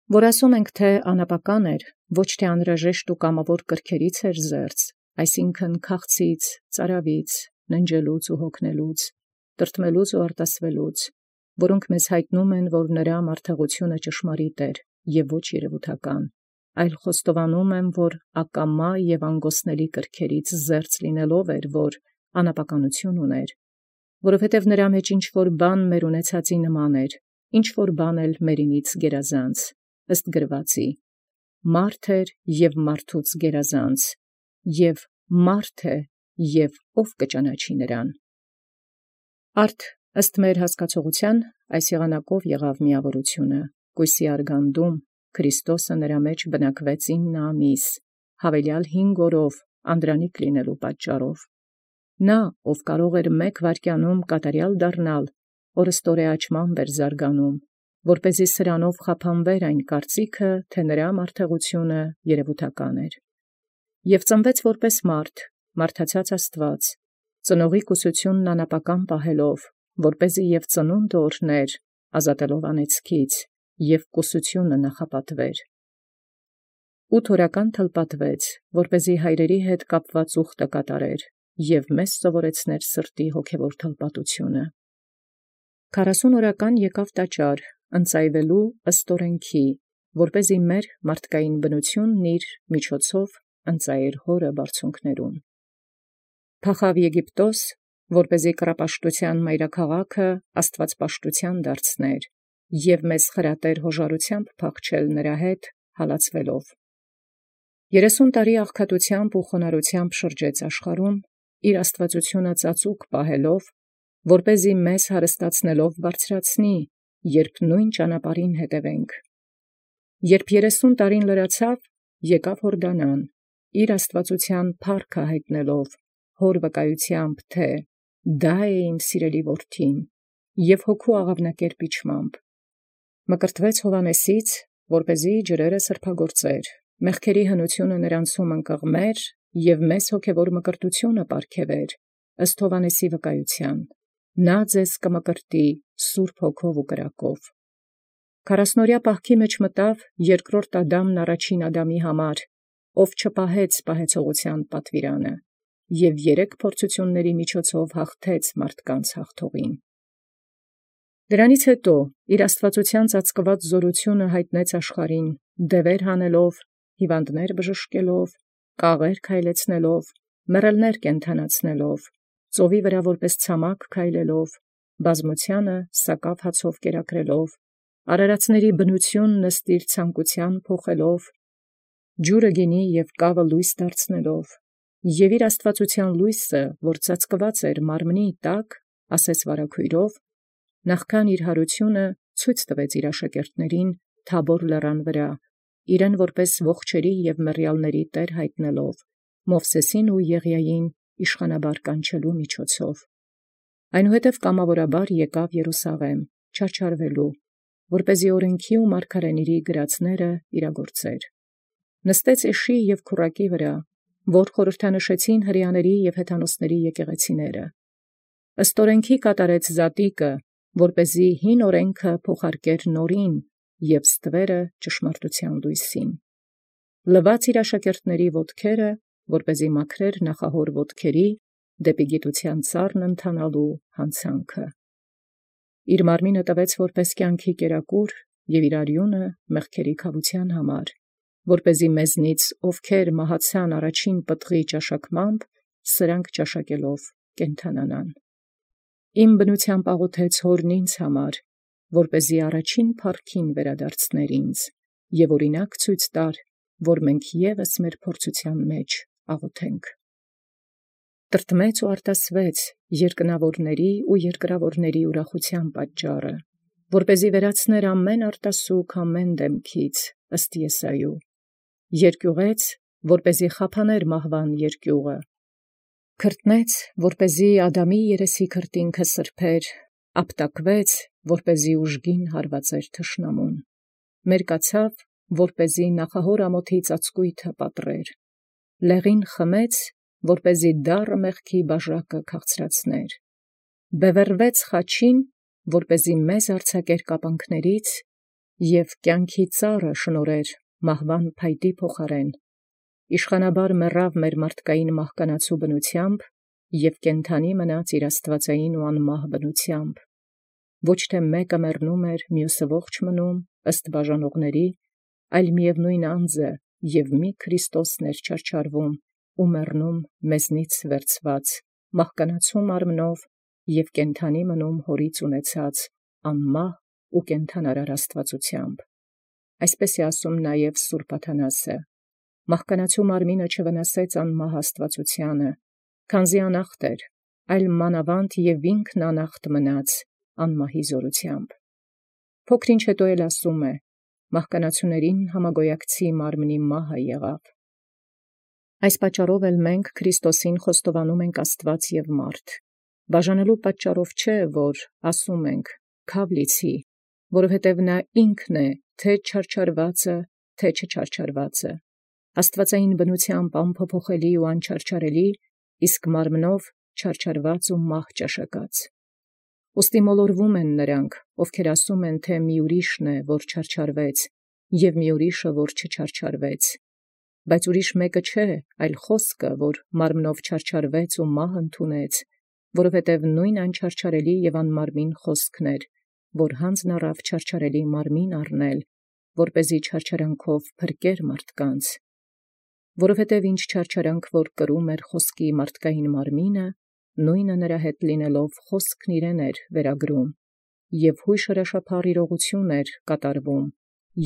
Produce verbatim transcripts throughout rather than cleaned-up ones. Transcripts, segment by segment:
Որ ասում ենք թէ անապական էր, ոչ թէ անհրաժեշտ և կամաւոր կրքերից էր զերծ, այսինքն քաղցից, ծարաւից, ննջելուց և հոգնելուց, տրտմելուց և արտասվելուց, որոնք մեզ յայտնում են, որ նրա մարդեղութիւնը ճշմարիտ էր և ոչ երևութական, այլ խոստովանում եմ, որ ակամա և անգոսնելի կրքերից զերծ լինելով էր, որ անապականութիւն ունէր, որովհետև նրա մեջ ինչ որ բան մեր ունեցածի նման էր, ինչ որ բան էլ մերինից գերազանց, ըստ գրուածի. մարդ էր և մարդուց գերազանց, և մարդ է, և ո՛վ կճանաչի նրան։ Արդ ըստ մեր հասկացողութեան այս եղանակով եղավ միավորութիւնը, կոյսի արգանդում Քրիստոսը նրա մեջ բնակվեց ինն ամիս, յաւելեալ հինգ օրով անդրանիկ լինելու պատճառով։ Նա, ով կարող էր մեկ վայրկեանում կատարեալ դառնալ, օրըստօրեաճմամբ էր զարգանում, որպէզի սրանով խափանվեր այն կարծիքը, թէ նրա մարդեղութիւնը երևութական էր։ Եւ ծնուեց որպէս մարդ, մարդացած Աստուած, ծնողի կուսութիւնն անապական պահելով, որպէզի և ծնունդը օրհներ, ազատելով անեծքից, և կուսութիւնը նախապատվեր։ Ութ օրական թլպատուեց, որպէզի հայրերի հետ կապված ուխտը կատարեր, և մեզ սովորեցուցանել սրտի հոգևոր թլպատութիւնը։ Քառասուն օրական եկեալ տաճար, ընծայվելու ըստ օրենքի, որպէզի մեր մարդկային բնութիւնն իւր ընծայէր զհօրը բարձունքներուն։ Փախաւ Եգիպտոս, որպէզի կռապաշտութեան մայրաքաղաքը աստուածպաշտութեան դարձնէր, և մեզ խրատէր յօժարութեամբ փախչել նրա հետ հալածվելով։ Երեսուն տարի աղքատութեամբ և խոնարհութեամբ շրջեալ աշխարհում, իր աստուածութիւնը ծածուկ պահելով, որպէզի մեզ հարստացնելով բարձրացնի, երբ նոյն ճանապարհին հետևենք։ Երբ երեսուն տարին լրացաւ, եկաւ Յորդանան, իր աստուածութեան փառքը յայտնելով, հօր վկայութեամբ, թէ «Դա է իմ սիրելի որդին», և հոգու աղաւնակերպ իջմամբ։ Մկրտվեց Յովհաննեսից, որպէզի ջրերն սրբագործէր, մեղքերի հնութիւնը նոցունց ընկղմէր և մեզ հոգևոր մկրտութիւնը պարգևէր, ըստ Յովհաննեսի վկայութեան. «Նա ձեզ կմկրտի սուրբ Հոգով և կրակով»։ Քառասնօրյա պահքի մեջ մտաւ երկրորդ Ադամն առաջին Ադամի համար, ով չպահեց պահեցողութեան պատուիրանը, և երեք փորձութիւնացն միջոցով հաղթեց մարդկանց հաղթողին։ Դրանից յետո իր աստուածութեան ծածկուած զօրութիւնը յայտնեց աշխարհին, դևեր հանելով, հիւանդս բժշկելով, կաղեր քայլեցնելով, մեռելս կենդանացնելով, ծովի վրայ որպէս ցամաք քայլելով, բազմութեանը սակաւ հացով կերակրելով, արարածացն բնութիւնն ըստ իր ցանկութեան փոխելով, ջուրը գինի և կաւը լոյս դարձնելով, և իր աստուածութեան լոյսը, որ ծածկուած էր մարմնի տակ, ասես վարագոյրով, նախքան իր յարութիւնը ցույց տուեալ իր աշակերտացն Թաբոր լերան վրայ, իրեն որպէս ողջոյն և մեռեալսն Տէր յայտնելով, Մովսէսին և Եղիային իշխանաբար կանչելոյ միջոցով։ Այնուհետև կամաւորաբար եկաւ Երուսաղէմ չարչարվելոյ, որպէզի օրենքի և մարգարէաց գրածսն իրագործէր։ Նստաւ յեշի և քուռակի վրայ, որ խորհրդանշեցին հրեաների և հեթանոսաց եկեղեցիները. ըստ օրենքի կատարեալ զատիկը, որպէզի հին օրենքը փոխարկէր նորին և ստուէր ճշմարտութեան լոյսին։ Լուաց իր աշակերտացն ոտքերը, որպէզի մաքրէր նախահոր ոտքերի դեպի գիտութեան ծառն ընթանալու յանցանքը։ Իր մարմինը տուեալ որպէս կենացի կերակուր և իր արիւնը մեղքերի քաւութեան համար, որպէզի մեզնից ովքեր մահացան առաջին պտղի ճաշակմամբ, սրանք ճաշակելով կենդանանան։ Իմ բնութեամբ աղոթեց Հօրն ինձ, որպէզի առաջին փառքին վերադարձնէր ինձ, և օրինակ ցույց տար, որ մենք ևս մեր փորձութեան մեջ աղոթենք։ Տրտմեց և արտասուեց երկնաւորաց և երկրաւորաց ուրախութեան պատճառը, որպէզի վերացնէր ամեն արտասուք ամեն դեմքից, ըստ Եսայիու. երկիւղեց, որպէզի խափանէր մահվան երկիւղը, քրտնեց, որպէզի Ադամի երեսի քրտինքը սրբէր, ապտակուեց, որպէզի ուժգին հարուածիւր թշնամուն, մերկացաւ, որպէզի նախահոր ամոթի ծածկոյթը պատռէր, լեղին խմեց, որպէզի դառը մեղքի բաժակը քաղցրացնէր, բևեռվեց խաչին, որպէզի մեզ արձակէր կապանքներից, և կյանքի ծառը շնորհեր մահվան փայտի փոխարեն, իշխանաբար մեռավ մեր մարդկային մահկանացու բնությամբ և կենդանի մնաց իր աստվածային ու անմահ բնությամբ, ոչ թե մեկը մեռնում էր, մյուսը ողջ մնում, ըստ բաժանողների, այլ միևնույն անձը և մի Քրիստոսն էր չարչարվում ու մեռնում մեզնից վերցված, մահկանացու մարմնով և կենդանի մնում հորից ունեցած անմահ ու կենդանարար աստվածությամբ։ Այսպես է ասում նաև Սուրբ Աթանասը. մահկանացու մարմինը չվնասեց անմահ աստվածությանը, քանզի անախտ էր, այլ մանավանդ և ինքն անախտ մնաց անմահի զորությամբ։ Փոքր ինչ հետո էլ ասում է. մահկանացուներին համագոյակցի մարմնի մահը եղավ։ Այս պատճառով էլ մենք Քրիստոսին խոստովանում ենք Աստված և մարդ, բաժանելու պատճառով չէ, որ ասում ենք քավ լիցի, որովհետև նա ինքն է թե չարչարվածը, թե չչարչարվածը, աստվածային բնությամբ անփոփոխելի ու անչարչարելի, իսկ մարմնով չարչարված ու մահ ճաշակած։ Ուստի մոլորվում են նրանք, ովքեր ասում են, թե մի ուրիշն է, որ չարչարվեց, և մի ուրիշը, որ չչարչարվեց, բայց ուրիշ մեկը չէ, այլ խոսքը, որ մարմնով չարչարվեց ու մահ ընդունեց, որովհետև նույն անչարչարելի և անմարմին խոսքն էր, որ հանձն առավ չարչարելի մարմին առնել, որպեսզի չարչարանքով փրկեր մարդկանց, որովհետև ինչ չարչարանք որ կրում էր խոսքի մարդկային մարմինը, նույնը նրա հետ լինելով խոսքն իրեն էր վերագրում, և հույժ հրաշափառ իրողություն էր կատարվում,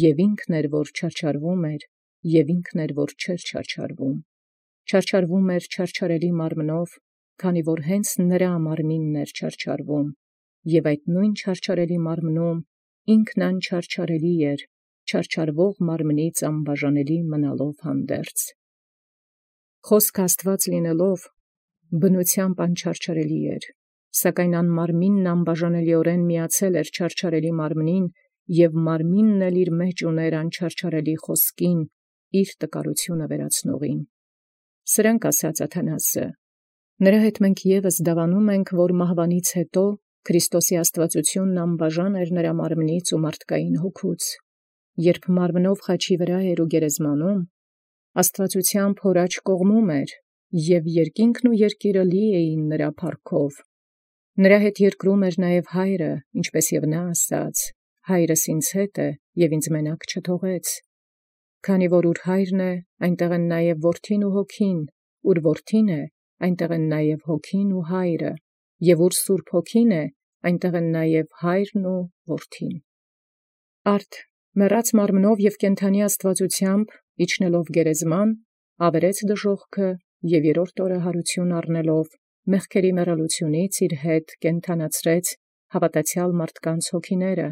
և ինքն էր, որ չարչարվում էր, և ինքն էր, որ չէր չարչարվում, չարչարվում էր չարչարելի մարմնով, քանի որ հենց նրա մարմինն էր չարչարվում, և այդ նույն չարչարելի մարմնում ինքն անչարչարելի էր, չարչարվող մարմնից անբաժանելի մնալով հանդերձ։ Խոսքը Աստված լինելով, բնությամբ անչարչարելի էր, սակայն անմարմինն անբաժանելիորեն միացել էր չարչարելի մարմնին, և մարմինն էլ իր մեջ ուներ անչարչարելի խոսքին, իր տկարությունը վերացնողին։ Սրանք ասաց Աթանասը. նրա հետ մենք ևս դավանում ենք, որ մահվանից հետո Քրիստոսի աստվածությունն անբաժան էր նրա մարմնից ու մարդկային հոգուց, երբ մարմնով խաչի վրա էր ու գերեզմանում, աստվածությամբ հոր աջ կողմում էր, և երկինքն ու երկիրը լի էին նրա փառքով։ Նրա հետ երկրում էր նաև Հայրը, ինչպես և նա ասաց. հայրս ինձ հետ է և ինձ մենակ չթողեց, քանի որ ուր հայրն է, այնտեղ են նաև որդին ու հոգին, ուր որդին է, այնտեղ են նաև հոգին ու հայրը, և ուր Սուրբ Հոգին է, այնտեղ են նաև հայրն ու որդին։ Արդ մեռած մարմնով և կենդանի աստվածությամբ իջնելով գերեզման, ավերեց դժոխքը և երրորդ օրը հարություն առնելով, մեղքերի մեռելությունից իր հետ կենդանացրեց հավատացյալ մարդկանց հոգիները,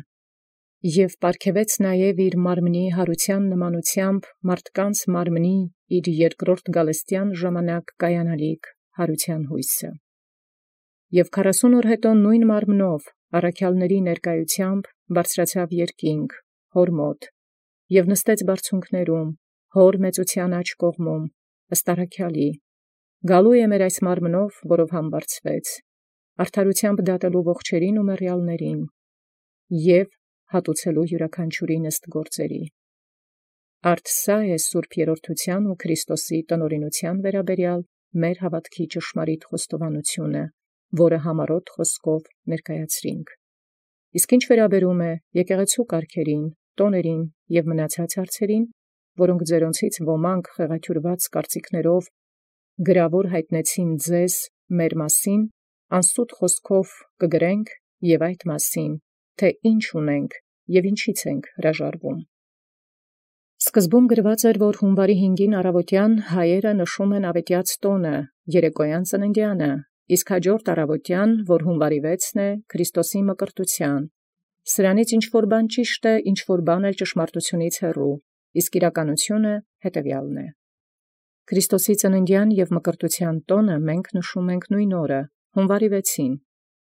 և պարգևեց նաև իր մարմնի հարության նմանությամբ մարդկանց մարմնի իր երկրորդ գալստյան ժամանակ կայանալիք հարության հույսը։ Եւ քառասուն օր հետո նույն մարմնով առաքյալների ներկայությամբ բարձրացավ երկինք, հոր մոտ, և նստեց բարձունքներում, հոր մեծության աջ կողմում, ըստ առաքյալի, գալու է մեր այս մարմնով, որով համբարձվեց, արդարությամբ դատելու ողջերին ու մեռյալներին, և հատուցելու յուրաքանչյուրին ըստ գործերի։ Արդ սա է Սուրբ Երրորդության ու Քրիստոսի տնօրինության վերաբերյալ մեր հավատքի ճշմարիտ խոստովանությունը, որը համառոտ խոսքով ներկայացրինք։ Իսկ ինչ վերաբերում է եկեղեցու կարգերին, տոներին և մնացած հարցերին, որոնք ձերոնցից ոմանք խեղաթյուրված կարծիքներով գրավոր հայտնեցին ձեզ մեր մասին, անսուտ խոսքով կգրենք և այդ մասին, թե ինչ ունենք և ինչից ենք հրաժարվում։ Սկզբում գրված էր, որ հունվարի հինգին առավոտյան հայերը նշում են ավետյաց տոնը, երեկոյան ծննդյանը, իսկ հաջորդ առավոտյան, որ հունվարի վեցն է, Քրիստոսի մկրտության։ Սրանից ինչ-որ բան ճիշտ է, ինչ-որ բան էլ ճշմարտությունից հեռու, իսկ իրականությունը հետևյալն է։ Քրիստոսի ծննդյան և մկրտության տոնը մենք նշում ենք նույն օրը, հունվարի վեցին,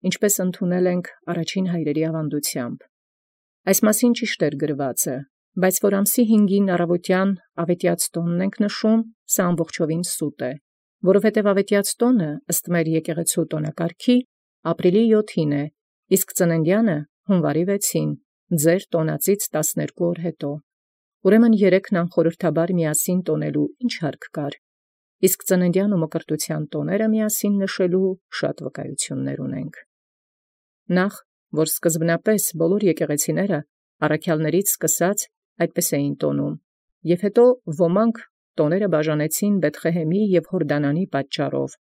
ինչպես ընդունել ենք առաջին հայրերի ավանդությամբ։ Այս մասին ճիշտ էր գրվածը, բայց որ ամսի հինգին առավոտյան ավետյաց տոնն ենք նշում, սա ամբողջովին սուտ է, որովհետև ավետյաց տոնը, ըստ մեր եկեղեցու տոնակարգի, ապրիլի յոթին է, իսկ ծննդյանը հունվարի վեցին, ձեր տոնածից տասներկու օր յետո։ Ուրեմն երեքն անխորհրդաբար միասին տոնելու ինչ յարկ կար, իսկ ծննդյան ու մկրտութեան տոները միասին նշելու շատ վկայություններ ունենք։ Նախ, որ սկզբնապես բոլոր եկեղեցիները առաքյալներից սկսած այդպես էին տոնում, և հետո ոմանք տոները բաժանեցին Բեթղեհեմի և Յորդանանի պատճառով,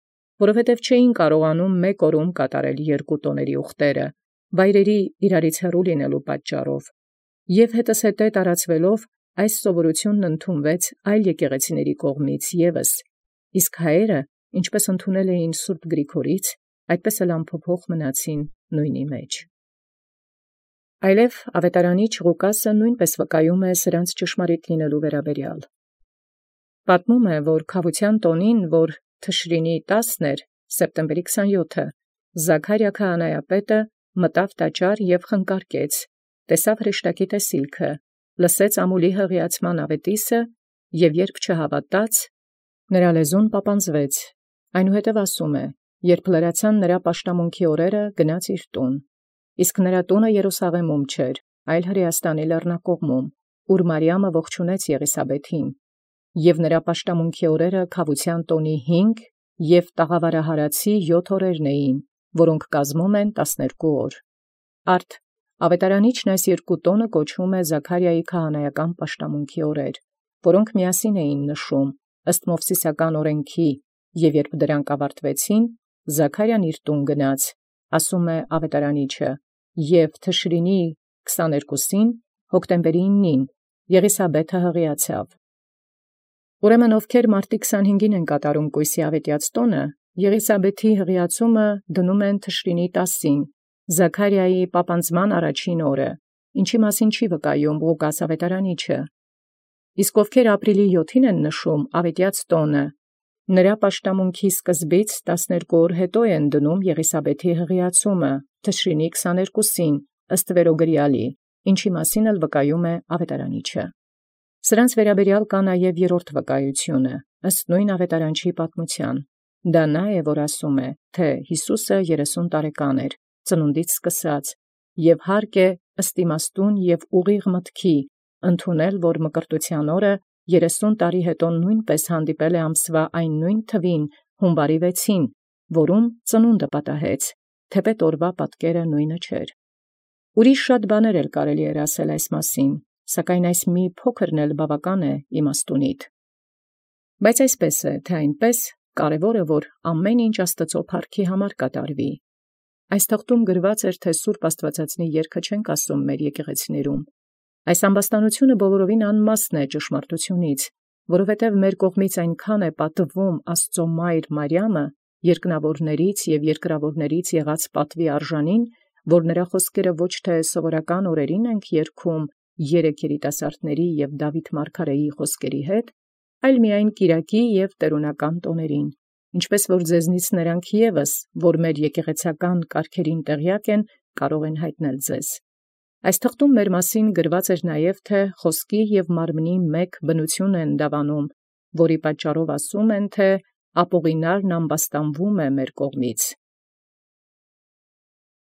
որովհետև չէին կարողանում մեկ օրում կատարել երկու տոների ուխտերը, վայրերի իրարից հեռու լինելու պատճառով, և հետզհետե տարածվելով այս սովորութիւնն ընդունվեց այլ եկեղեցիների կողմից ևս, իսկ հայերը, ինչպես ընդունել էին սուրբ Գրիգորից, այդպես էլ անփոփոխ մնացին նույնի մեջ։ Այլև աւետարանիչ Ղուկասը նույնպես վկայում է սրանց ճշմարիտ լինելու վերաբերյալ։ Պատմում է, որ քավութեան տոնին, որ Թշրինի տասն էր, սեպտեմբերի քսանյոթը, Զաքարիա քահանայապետը մտավ տաճար և խնկարկեց, տեսաւ հրեշտակի տեսիլքը, լսեց ամուլի հղիացման աւետիսը, և երբ չհաւատաց, նրա լեզուն պապանձվեց, այնուհետև ասում է, երբ լրացան նրա պաշտամունքի օրերը, գնաց իր տուն, իսկ նրա տունը Երուսաղեմում չէր, այլ Հրեաստանի լեռնակողմում, ուր Մարիամը ողջունեց Եղիսաբեթին, և նրա պաշտամունքի օրերը քավութեան տոնի հինգ և տաղավարահարացի յոթ օրերն էին, որոնք կազմում են տասներկու օր։ Արդ աւետարանիչն այս երկու տոնը կոչում է Զաքարիայի քահանայական պաշտամունքի օրեր, որոնք միասին էին նշում ըստ Մովսիսական օրենքի, և երբ դրանք ավարտվեցին, Զաքարիան իր տուն գնաց, ասում է աւետարանիչը, և Թշրինի քսաներկուսին, հոկտեմբերի իննին, Եղիսաբեթը հղիացավ։ Ուրեմն ովքեր մարտի քսանհինգին են կատարում կոյսի աւետեաց տոնը, Եղիսաբեթի հղիացումը դնում են Թշրինի տասին, Զաքարիայի պապանձման առաջին օրը, ինչի մասին չի վկայում Ղուկաս աւետարանիչը։ Իսկ ովքեր ապրիլի յոթին են նշում աւետեաց տոնը, նրա պաշտամունքի սկզբից տասներկու օր յետո են դնում Եղիսաբեթի հղիացումը Թշրինի քսաներկուսին, ըստ վերոգրեալի, ինչի մասին էլ վկայում է աւետարանիչը։ Սրանց վերաբերյալ կա նաև երրորդ վկայությունը, ըստ նույն աւետարանչի պատմութեան։ Դա նա է, որ ասում է, թե Յիսուսը երեսուն տարեկան էր, ծնունդից սկսած, և հարկ է ըստ իմաստուն և ուղիղ մտքի ընդունել, որ մկրտութեան օրը երեսուն տարի յետո նույնպես հանդիպել է ամսվա այն նույն թվին հունվարի վեցին, որում ծնունդը պատահեց, թեպետ օրվա պատկերը նույնը չէր։ Ուրիշ շատ բաներ էլ կարելի էր ասել այս մասին, սակայն այս մի փոքրն էլ բավական է իմաստունիդ։ Բայց այսպես է, թե այնպես կարևոր է, որ ամեն ինչ Աստուծոյ փառքի համար կատարվի։ Այս թղթում գրված էր, թե Սուրբ Աստուածածնի երգը չենք ասում մեր եկեղեցիներում։ Այս ամբաստանությունը բոլորովին անմասն է ճշմարտությունից, որովհետև մեր կողմից այնքան է պատվում Աստծո մայր Մարիամը, երկնավորներից և երկրավորներից եղած պատվի արժանին, որ նրա խոսքերը ոչ թե սովորական օրերին ենք երգում երեք երիտասարդների և Դաւիթ մարգարեի խոսքերի հետ, այլ միայն կիրակի և տերունական տոներին, ինչպես որ ձեզնից նրանք ևս, որ մեր եկեղեցական կարգերին տեղյակ են, կարող են հայտնել ձեզ։ Այս թղթում մեր մասին գրված էր նաև, թե խոսքի և մարմնի մեկ բնություն են դավանում, որի պատճառով ասում են, թե ապօղինարն ամբաստանվում է մեր կողմից։